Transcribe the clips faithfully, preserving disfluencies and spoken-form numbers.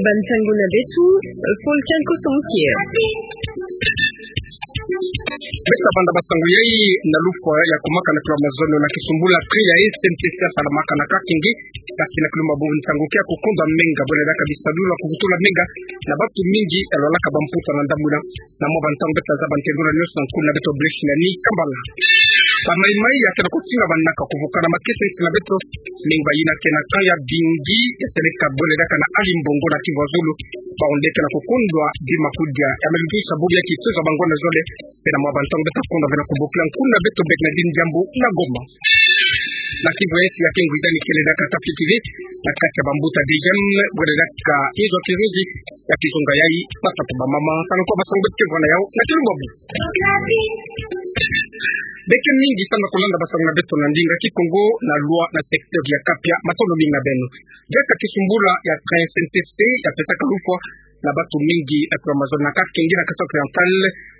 Bansango na beto, Fulcan Kosomukia. Beto banda basango yai na lufwa ya kumaka na kilo mazono na kisumbula train ya S N T C ya salamaka na Kakenge, kasi na kilumbu ya nsangu kia kukonda menga bwela daka bisadula kuvutula menga na batu mingi ya lwalaka bamputa na ndambu ina. Na mwa bantango beto tazaba ntendu na nyoso na nkuna beto Blaise Nani Kambala. Ba Mai Mai ya kena kutinga banaka kuvukana makesa nsi na beto, menga bayina kena kaya bingi ya seleka bwela daka na Ali Mbongo na Kivu ya Zulu. Bawu nde kena kukondwa bima kudia ya melutusa buri ya kitoza bangwana zole. Pe na mwa bantango beto kondwa bena kubokila nkuna beto Bernardine Diambu na Goma. Na Kivu ya Esi ya kengwizani kele daka tafikiri na kati ya bambuta D G M bwela daka inzo kiruzi ya kizunga yai, batata, bamama, tala nkwa basango beto kevana yau na kilumbu. Beke mingi samu na kulanda basango na beto na ndinga Kikongo na lwa na secteur ya Kapia, matondo mingi na beno. Diaka kisumbula ya train S N T C ya pesaka lufwa na batu mingi na kilo mazono na Kakenge na Kasai Oriental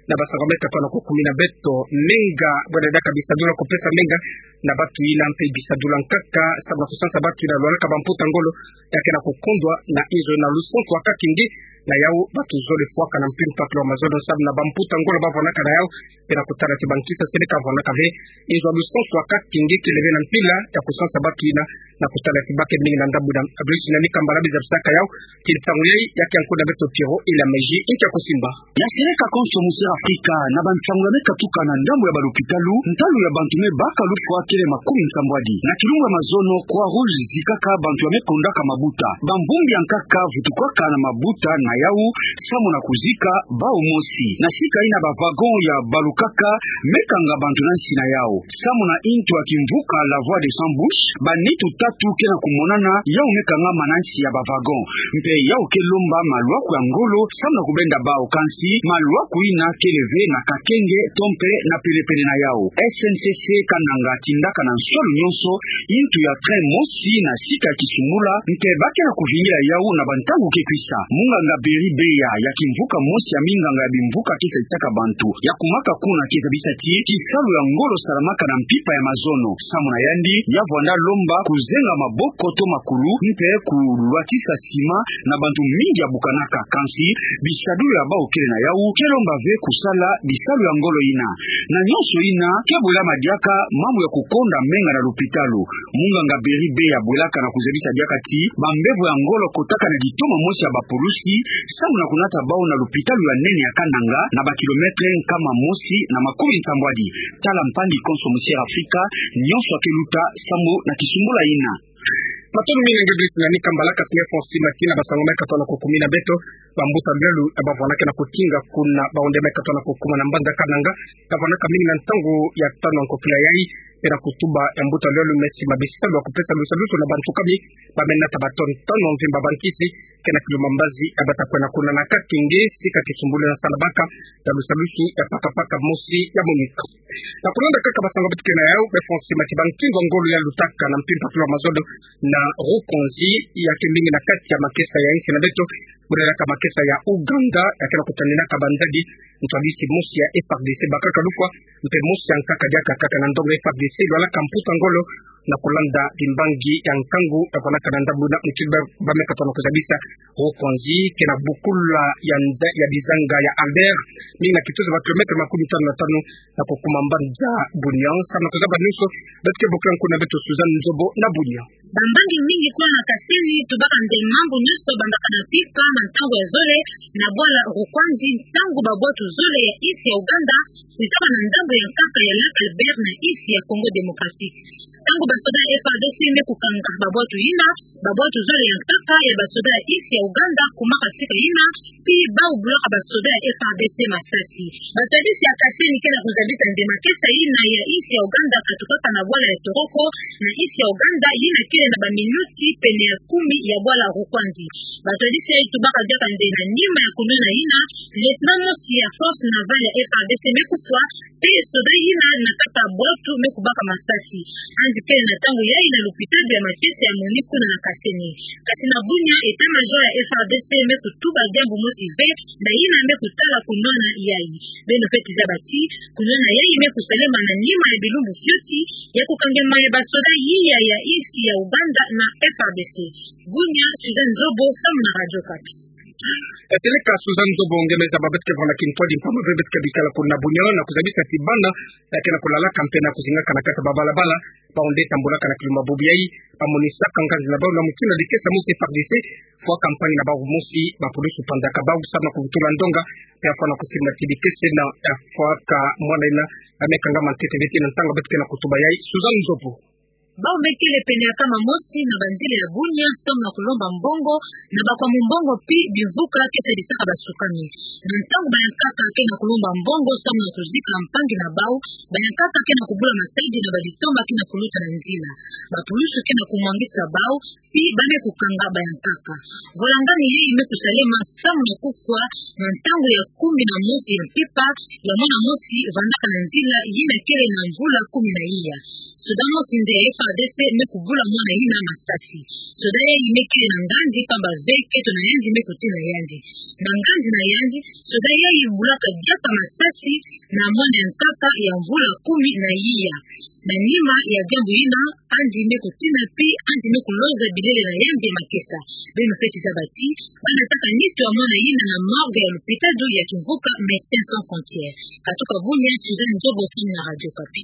na basango ya katwa na kukumi na beto, menga bwela daka bisadula kupesa menga na batu ina mpe bisadula nkaka samu na kusansa batu ina lwalaka bamputa ngolo, ya kena kukondwa na inzo na lusansu ya Kakenge. Na yau batu zole fwaka na mpimpa kilo mazono samu na bamputa ngolo bavwanaka na yau, pe na kutala ti bankisa seleka vwanaka ve. Inzo ya lusansu ya Kakenge kele ve na mpila ya kusansa batu ina na kutala ti bake mingi na ndambu ina. Blaise Nani Kambala bizabisaka yau, ti ntangu yai ya kia nkuna beto Pierrot Elameji ntia kusimba. Ya seleka konso mu Sud Afrika, na bantangu ya me katuka na ndambu ya balupitalu, ntalu ya bantu me baka lufwa kele makumi nsambwadi. Na kilumbu ya mazono, Croix Rouge zikaka bantu ya me kondaka mabuta. Bambumbi ya nkaka vutukwaka na mabuta na yau samu na kuzika bawu mosi. Na sika ina ba wagon ya balukaka me kanga bantu na nsi na yau. Samu na intu ya kimvuka La Voix des Sans Bouches, ba nitu tatu kena kumonana yau me kangama na nsi ya ba wagon. Mpe yau ke lomba malwaku ya ngolo samu na kubenda bawu, kansi malwaku ina kele ve na Kakenge to mpe na penepene na yau. S N T C Kananga tindaka na nsolo nyonso intu ya train mosi na sika ya kisumbula, mpe ba kena kuvingila yau na bantangu ke kwisa. Munganga Berry Beya, ya kimvuka mosi ya minganga ya bimvuka ke salisaka bantu ya kumaka kuna, ke zabisa ti kisalu ya ngolo salamaka na mpimpa ya mazono. Samu na yandi, ya vwanda lomba kuzenga maboko to makulu, mpe kulwatisa sima na bantu mingi ya bukanaka, kansi bisadulu ya bawu kele na yau ke lomba ve kusala bisalu ya ngolo ina. Na nyonso ina ke bwelama diaka mambu ya kukonda menga na lupitalu. Munganga Berry Beya bwelaka na kuzabisa diaka ti bambevo ya ngolo kotaka na ditoma mosi ya bapulusi samu na kunata bawu na lupitalu ya nene ya Kananga, na ba kilometre nkama mosi na makumi nsambwadi. Tala mpangi konso mu Sud Afrika, nyonso ya ke luta samu na kisumbula ina. Matondo mingi na nge Blaise Nani Kambala, kasi nge Fonsi Mati na basango me katwa na kukumi na beto. Bambuta bialu ya bavwanaka na kutinga kuna, bawu nde me katwa na kukuma na mbanza Kananga, ya vwanaka mingi na ntangu ya tanu ya nkokila yai, pe na kutuba ya mbuta bialu me sima bisalu ya kupesa lusadusu na bantu kami ba me nata ba tone tanu ya mvimba bankisi, kena kilo mambazi ya bata kwena kuna na Kakenge, sika kisumbulu na salamaka na lusadusu ya pakapaka mosi ya MONUC. Na kulanda kaka basango beto ke na yau, be Fonsi Mati, ba nkinzo ya ngolo ya lutaka na mpimpa kilo mazono na Rukwinzi, ya ke mingi na kati ya makesa ya insi na beto, bwelaka makesa ya Ouganda, ya kena kutaninaka bandadi, ntwadisi mosi ya F A R D C bakaka lufwa, mpe mosi ya nkaka diaka kaka na ndongo F A R D C lwalaka mputa ngolo, na kulanda bimbangi ya nkangu ya vwanaka na ndambu ina. Mutindu ba me katwa na kuzabisa, Rukwinzi kena bukula ya nza-, ya bizanga ya Albert, mingi na kitozo ba kilometre makumi tanu na tanu na kukuma mbanza Bunia. Samu na kuzaba nyonso, beto ke bokila nkuna beto Suzanne Nzobo na Bunia. Bambangi mingi kuna na Kasai tubaka nde mambu nyonso bandaka na mpimpa na ntangu ya zole na bwala Rukwinzi, ntangu babwatu zole ya insi ya Ouganda kwiza bâ na ndambu ya nkaka ya lac Albert na insi ya Congo Démocratique. Ntangu basoda ya F A R D C me kukanga babwatu ina, babwatu zole ya nkaka ya basoda ya insi ya Ouganda kumaka sika ina, pi bawu bulaka basoda ya F A R D C masasi. Baservice ya Kasai kena kuzabisa nde makesa ina ya insi ya Ouganda katukaka na bwala ya Toroko na insi ya Ouganda, ina kele na baminuti pene ya kumi ya bwala Rukwinzi. Batwadisi yai tubaka diaka nde na nima ya kunwana yina, lieutenant mosi ya force navale ya F A R D C me kufwa, pe soda yina na kati ya bwatu me kubaka masasi. Andi kele na ntangu yai na lupitalu ya makesa ya MONUSCO na Kasene. Kasi na Bunia, état-major ya F A R D C me kutuba diambu mosi ve, na yina me kutala kunwana yai. Beno fweti zaba ti kunwana yai me kusalema na nima ya bilumbu fioti ya kukangema ya basoda yiya ya insi ya Ouganda na F A R D C. Bunia, Suzanne Nzobo, samu na Radio Okapi. Kateleka Suzanne Nzobo, nge me zaba beto ke vwanda kintwadi mpamba ve beto ke bikala kuna Bunia, na kuzabisa ti bana ya ke na kulalaka mpe na kuzingaka na kati ya babalabala, bau nde tambulaka na kilumbu bubu yai, bamonisaka nganzi na bau na mutindu ya dikesa mosi F A R D C, fwa campagne na bau mosi, bapulusu panzaka bau samu na kuvutula ndonga, pe afwa na kusimba ti dikesa na, eh, fwa ka mwana yina, eh, me kangama ntete ve ti na ntangu beto ke na kutuba yai, Suzanne Nzobo. Bau me kele pene ya nkama mosi na banzila ya Bunia samu na kulomba mbongo na bakwa mumbongo pi bimvuka ke sadisaka basukami. Na ntangu bayankaka ke na kulomba mbongo samu na kuzika mpangi na bau, bayankaka ke na kubula matadi na baditoma ke na kuluta na nzila. Bapulusu ke na kumwangisa bau, pi ba me kukanga bayankaka. Volangani yai me kusalema samu na kufwa na ntangu ya kumi na mosi ya mpimpa ya mwana mosi vandaka na nzila yina kele na mvula kumi na iya. Soda mosi nde ya F A R D C me kubula mwana yina masasi. Soda yai me kele na nganzi mpamba ve keto na yandi me kutina yandi. Na nganzi na yandi, soda yai bulaka diaka masasi na mwana ya nkaka ya mvula kumi na iya. Na nima ya diambu yina, andi me kutina pi andi me kuloza bilele na yandi ya makesa. Beno fweti zaba ti banataka nitu ya mwana yina na morgue ya lupitalu ya kimvuka Médecins Sans Frontières. Katuka Bunia, Suzanne Nzobo, samu na Radio Okapi.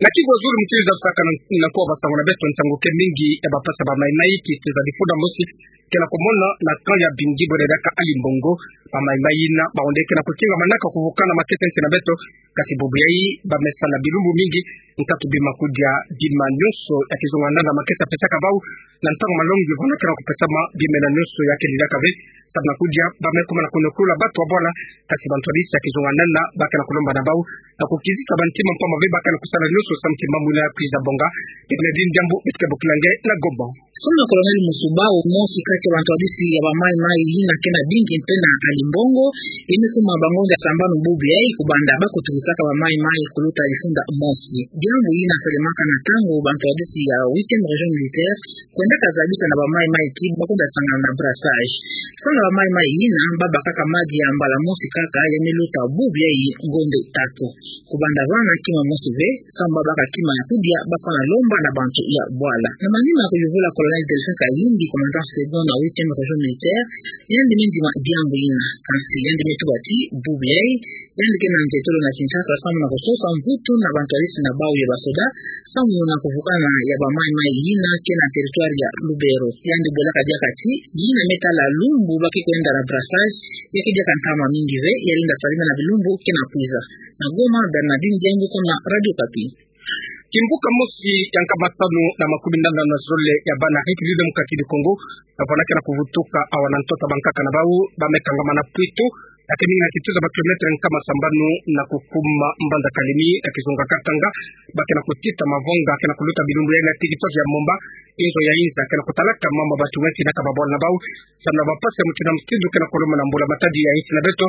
Na kigu zulu mutindu za lusaka na, na kuwa basango na beto, nsangu ke mingi ya bapasi ya ba Mai-Mai ki teza difunda mosi ke na kumona na camp ya Bingi bwena diaka Ali Mbongo. Ba Mai-Mai yina, bau nde ke na kukingamanaka kuvukana makesa nsi na beto, kasi bubu yai, ba me sa na bilumbu mingi, nkatu bima kudia, bima nyonso ya kizunga nanga makesa pesaka bau, na ntangu malongi, vana ke na kupesama, bima nyonso ya ke lilaka ve, samu na kudia, ba me kuma na kunukula batu wa bwala, kasi bantwadisi ya kizunga nanga, ba ke na kulomba na bau, na kukizisa bantima mpamba ve ba ke na kusala nyonso samu ti mambu yina ya kwiza bonga. Bernardine Diambu, beto ke bokila nge na Goma. Samu na Colonel Musuba, mosi kati ya bantwadisi ya ba Mai-Mai yina ke na bingi mpe na Ali Mbongo, ye me kuma ba ngonda sambanu bubu yai kubanda ba kutukisaka ba Mai-Mai kuluta difunda mosi. Diambu yina salemaka na ntangu bantwadisi ya huitième région militaire kwendaka zabisa na ba Mai-Mai ti ba kwenda sangana na brassage. Samu na ba Mai-Mai yina, ba bakaka madi ya mbala mosi kaka, ya me luta bubu yai ngonda tatu. Kubanda vana kima mosi ve, samu ba baka kima ya kudia, ba fwana lomba na bantu ya bwala. Na manima ya kuyuvula Colonel Delphin Kayimbi, commandant second na huitième région militaire, yandi me ndima diambu yina. Kansi yandi me tuba ti bubu yai, yandi ke na nzietolo na Kinshasa samu na kusosa mvutu na bantwadisi na bau ya basoda, samu na kuvukana ya ba Mai-Mai yina ke na territoire ya Lubero. Yandi bwelaka diaka ti, yina me tala lumbu ba ke kwenda na brassage, ya ke diaka ntama mingi ve, ya lenda salama na bilumbu ke na kwiza. Na Goma, Bernardine Diambu, samu na Radio Okapi. Kimvuka mosi ya nkama tanu na makumi nana na zole ya bana République Démocratique du Congo, ba fwanakana kuvutuka awa na ntoto ya bankaka na bau, ba me kangama na Pweto, ya ke mingi na kituza ba kilomètre nkama sambanu na kukuma mbanza Kalemi, ya kizunga Katanga, ba ke na kutita mavonga, ke na kuluta bilumbu yai na territoire ya Momba, inzo ya inza, ke na kutalaka mama batu weti na ka babwala na bau, samu na bapasi ya mutindu na mutindu ke na kuluma na mbula-matadi ya insi na beto,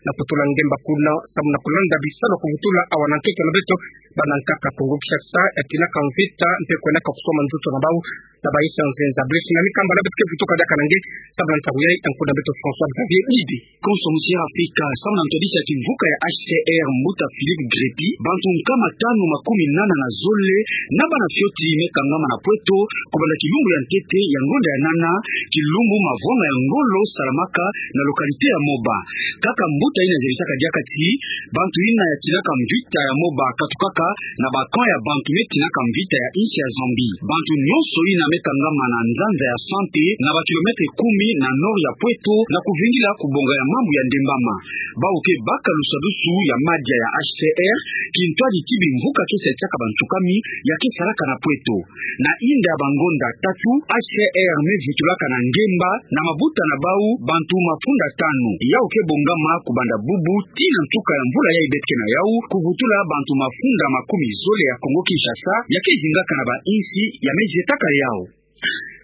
na kutula ngemba kuna, samu na kulanda bisalu ya kuvutula awa na ntoto na beto, bana nkaka Kongo Kinshasa, ya tinaka mvita, mpe kwendaka kusoma nzoto na bau, na ba insi ya nzenza. Brice Ngami Kamba na beto ke vutuka diaka na nge, samu na ntangu yai, ya nkuna beto François Xavier Mibi. Konso musi ya Afrika, samu na ntwadisi ya kimvuka ya H C R, mbuta Philippe Grépy, bantu nkama tanu makumi nana na zole, na bana fioti me kangama na Pweto, kubanda kilumbu ya ntete ya ngonda ya nana, kilumbu mavwanga ya ngolo salamaka na localité ya Moba. Kaka mbuta yina zerisaka diaka ti, bantu yina ya tinaka mvita ya Moba katukaka na ba camp ya bantu me tinaka mvita ya insi ya Zambie. Bantu nyonso yina me kangama na nzanza ya santé na ba kilomètre kumi na nord ya Pweto na kuvingila kubonga ya mambu ya ndembama. Bau ke baka lusadusu ya madia ya H C R, kintwadi ti bimvuka ke salisaka bantsukami ya ke salaka na Pweto. Na inda ya bangonda tatu, H C R me vutulaka na ngemba na mabuta na bau bantu mafunda tanu. Yau ke bongama kubanda bubu tii na nsuka ya mvula yai beto ke na yau, kuvutula bantu mafunda makumi zole ya Kongo Kinshasa ya ke zingaka na ba insi ya me zietaka yau.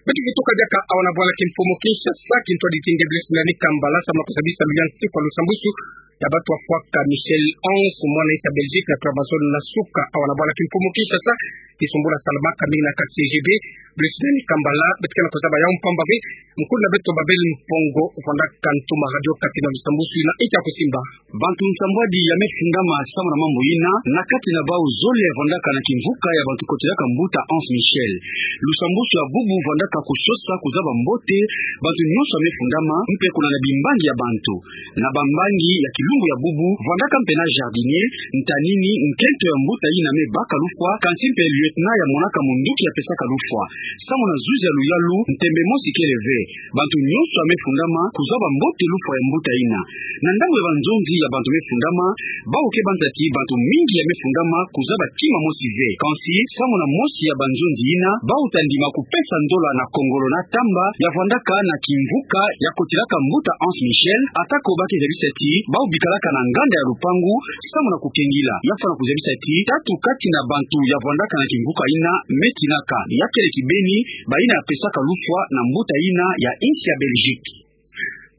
Beto kituka diaka awa na bwala kimfumu Kinshasa, kintwadi ti nge Blaise Nani Kambala, samu na kuzabisa luyantikwa lusambusu ya batu wafwaka Michel onze, mwana insi ya Belgique, na kura mazolo na suka awa na bwala kimfumu Kinshasa, kisumbula salamaka mingi na kati C G B. Blaise Nani Kambala, beto ke na kuzaba yawu mpamba ve. Nkulu na beto Babel Mpongo, vwandaka ntuma Radio Okapi na lusambusu ina, nki ya kusimba. Bantu nsambwadi ya me fundama samu na mambu ina, na kati na bawu zole ya vwandaka na kimvuka ya bantu kotelaka mbuta onze Michel. Lusambusu ya bubu vwandaka kusosa kuzaba mbote bantu nyonso ya me fundama, mpe kuna na bimbangi ya bantu. Na bambangi ya kilumbu ya bubu, vwandaka mpe na jardinier, ntanini, nkento ya mbuta ina me baka lufwa, kansi mpe lieutenant ya monaka munduki ya pesaka lufwa. Samu na zuzi ya luyalu, ntembe mosi kele ve. Bantu nyonso ya me fundama kuzaba mbote lufwa ya mbuta ina. Na ndambu ya banzonzi ya bantu me fundama, bawu ke banza ti bantu mingi ya me fundama kuzaba kima mosi ve. Kansi, samu na mosi ya banzonzi ina, bawu ta ndima kupesa ndola na kongolo na tamba ya vwandaka na kimvuka ya kotelaka mbuta onze Michel, atako ba ke zabisa ti bawu bikalaka na nganda ya lupangu, samu na kukengila. Ya fwana kuzabisa ti tatu kati na bantu ya vwandaka na kimvuka ina me tinaka. Ya kele kibeni baina ya pesaka lufwa na mbuta ina ya insi ya Belgique.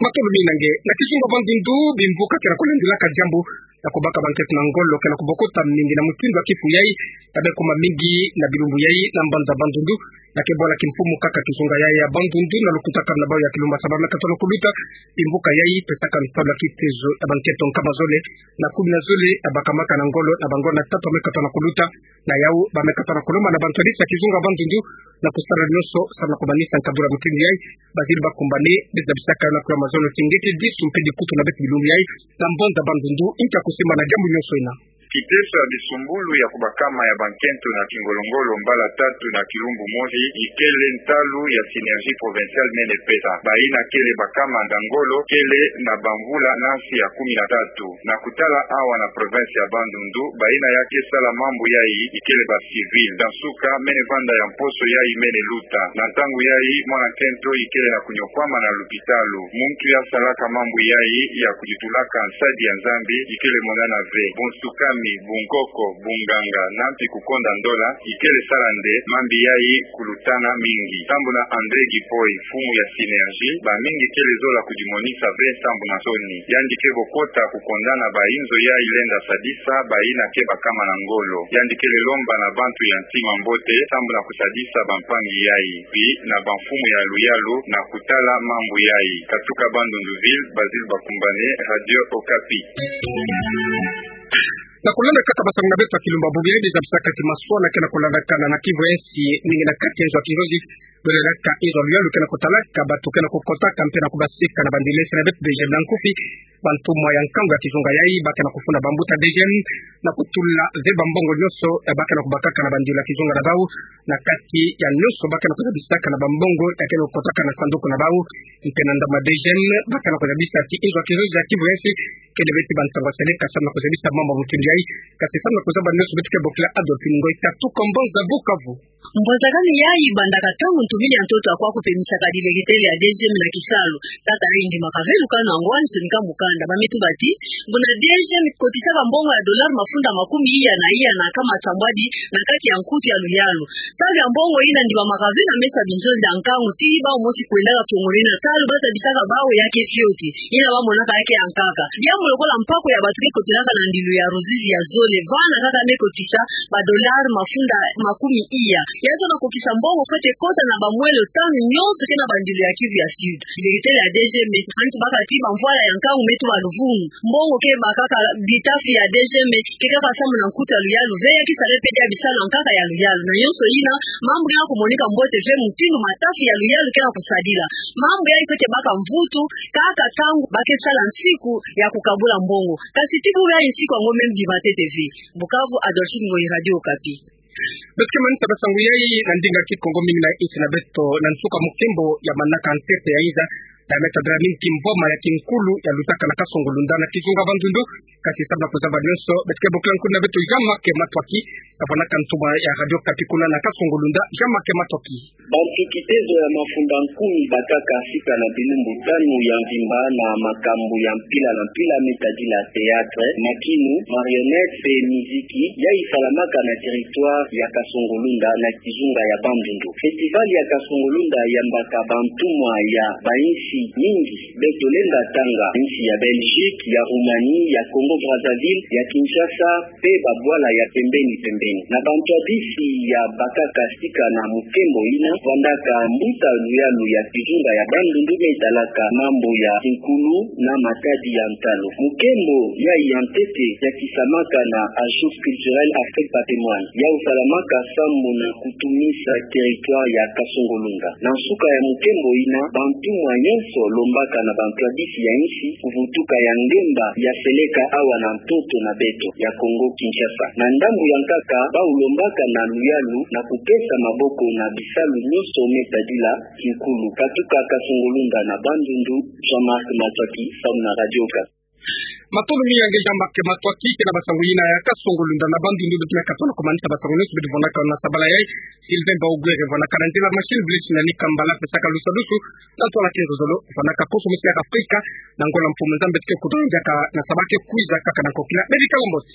Matolo mingi na nge. Na kizunga Bandundu, bimvuka ke na kulandilaka diambu ya kubaka bankento na ngolo ke na kubokota mingi na mutindu ya kifu yai, ya me kuma mingi na bilumbu yai na mbanza Bandundu, na ke bwala kimfumu kaka kizunga yai ya Bandundu, na lukutakanu na bawu ya kilumbu ya saba me katono kuluta, bimvuka yai pesaka nsalu ya kitezo ya bankento nkama zole na kumi na zole ya bakamaka na ngolo, na bangolo na tatu me katono kuluta. Na yawu, ba me katono kulomba na bantu ya kizunga Bandundu na kusala nyonso samu na kumanisa nkadula mutindu yai. Bazili bakumbane, beza bisaka na kula mazono ti ngeti disu mpe dikutu na beto bilumbu yai, na mbanza Bandundu, nki ya kusimba na diambu nyonso ina. Kiteso ya bisumbulu ya kubakama ya bankento na kingolo-ngolo mbala tatu na kilumbu mosi, ikele ntalu ya Synergie Provinciale mene pesa. Baina kele bakama na ngolo, kele na bamvula nansi ya kumi na tatu. Na kutala awa na province ya Bandundu, baina ya ke sala mambu yai ikele ba civil. Na nsuka, mene vanda ya mposo yai mene luta. Na ntangu yai, mwana nkento ikele na kunyokwama na lupitalu. Muntu ya salaka mambu yai ya kuyutulaka nsadi ya Nzambi ikele monana ve. Bunsukami, bunkoko, bunganga, na mpi kukonda ndola, ikele sala nde mambi yai kulutana mingi. Sambu na André Gipoy, mfumu ya Synergie, bamingi kele zola kudimonisa ve sambu na nsoni. Yandi ke bokota kukondana ba inzo yai lenda sadisa baina ke bakama na ngolo. Yandi kele lomba na bantu ya ntima mbote sambu na kusadisa bampangi yai, pi na bamfumu ya luyalu na kutala mambu yai. Katuka Bandundu ville, Basile Bakumbane, Radio Okapi. Na kulanda kaka basangu na beto ya kilumbu ya bubu yai, beza bisaka ti maswana ke na kulandakana na Kivu ya Insi, mingi na kati ya nzo ya Kivu ya Insi, bwelelaka nzo ya luyalu ke na kutalaka bato ke na kukotaka mpe na kubasika na bandelese na beto DGM na nkufi. Bantumwa ya nkangu ya kizunga yai ba ke na kufunda bambuta DGM na kutula ve bambongo nyonso ya ba ke na kubakaka na bandelese ya kizunga na bawu, na kati ya nyonso ba ke na kuzabisaka na bambongo ya ke na kukotaka na sanduku na bawu. Mpe na ndambu ya DGM, ba ke na kuzabisa ti nzo ya Kivu ya Insi, kele ve ti bantangu ya seleka samu na kuzabisa mambu ya mutindu yai, kasi samu na kuzaba nyonso beto ke bokila Adolphine Ngoy Tatu, ka mbanza Bukavu. Mbwanzakani yai bandaka ntangu ntubili ya ntoto ya kwa kupemisaka dilegetele ya DGM na kisalu. Tata yai ndimaka ve lukanu yango, Anselme Kamukanda. Ba me tuba ti, buna DGM kotisaka mbongo ya dollar mafunda makumi iya na iya na nkama sambwadi na kati ya nkutu ya luyalu. Salu ya mbongo ina ndimamaka ve na meso ya binzonzi ya nkangu ti bawu mosi kwendaka fiongola na salu, ba zabisaka bawu ya ke fioti. Ina ba monaka ya ke ya nkaka. Diambu lokola mpako ya bato ke kotelaka na ndilu ya Ruzizi ya zole, vana kaka me kotisa ba dollar mafunda makumi iya. Ya zola kokisa mbongo fwete kota na bamwelo tanu nyonso ke na bandilu ya Kivu ya Sud. Dilegetele ya DGM, antu baka ti bamvwala ya nkangu me tuba luvunu. Mbongo ke bakaka bitafi ya DGM, ke kaka samu na nkutu ya luyalu ve, ya ke sala mpe dia bisalu ya nkaka ya luyalu. Na nyonso ina, mambu ke na kumonika mbote ve mutindu matafi ya luyalu ke na kusadila. Mambu yai fwete baka mvutu, kaka ntangu ba ke sala nsiku ya kukabula mbongo. Kasi ti bubu yai nsiku yango me ndima ntete ve. Bukavu, Adolphine Ngoyi, Radio Okapi. Beto ke manisa basangu yai na ndinga Kikongo mingi na insi na beto. Na nsuka, mukembo ya manaka ntete ya inza Diamètre Dramine Kimboma ya kinkulu ya lutaka na Kasongo Lunda na kizunga Bandundu. Kasi sababu na kuzaba nyonso, beto ke bokila nkuna beto Jean-Marc Matoaki, na fwanakana ntumwa ya Radio Okapi kuna na Kasongo Lunda, Jean-Marc Matoaki. Bantu kitezo ya mafunda nkumi bakaka sika na bilumbu tanu ya mvimba na makambu ya mpila na mpila me tadila théâtre, makinu, marionnettes pe miziki, yayi salamaka na territoire ya Kasongo Lunda na kizunga ya Bandundu. Festival ya Kasongo Lunda yambaka bantumwa ya bainsi mingi. Beto lenda tanga insi ya Belgique, ya Roumanie, ya Congo Brazzaville, ya Kinshasa, pe babwala ya pembeni pembeni. Na bantu ya bisi ya bakaka sika na mukembo ina, vandaka mbuta luyalu ya kizunga ya Bandundu me talaka mambu ya kinkulu na matadi ya ntalu. Mukembo yayi ya ntete ya kisamaka na Agence Culturelle Afrique Patrimoine, yawu salamaka sambu na kutumisa territoire ya Kasongo Lunda. Na nsuka ya mukembo ina, bantumwa nyonso lombaka na bantu ya bisi ya insi kuvutuka ya ngemba ya seleka awa na ntoto na beto ya Kongo Kinshasa. Na ndambu ya nkaka, bawu lombaka na luyalu na kupesa maboko na bisalu nyonso me tadila kinkulu. Katuka Kasongo Lunda na Bandundu, Jean-Marc Matoaki, samu na Radio Okapi. Matondo mingi ya nge Jean-Marc Matoaki, kena basango yina ya Kasongo Lunda na Bandundu. Beto me katono kumanisa basango nyonso beto vwanakana na sabala yayi. Sylvain Baogwere vwanakana nzila machine, Blaise Nani Kambala pesaka lusadusu, na Antoine Kinzolo vwanaka koso musi ya Afrika. Na ngola mfumu Nzambi, beto ke kudonjaka na sabala ke kwiza kaka na nkokila. Beno bikala mbote.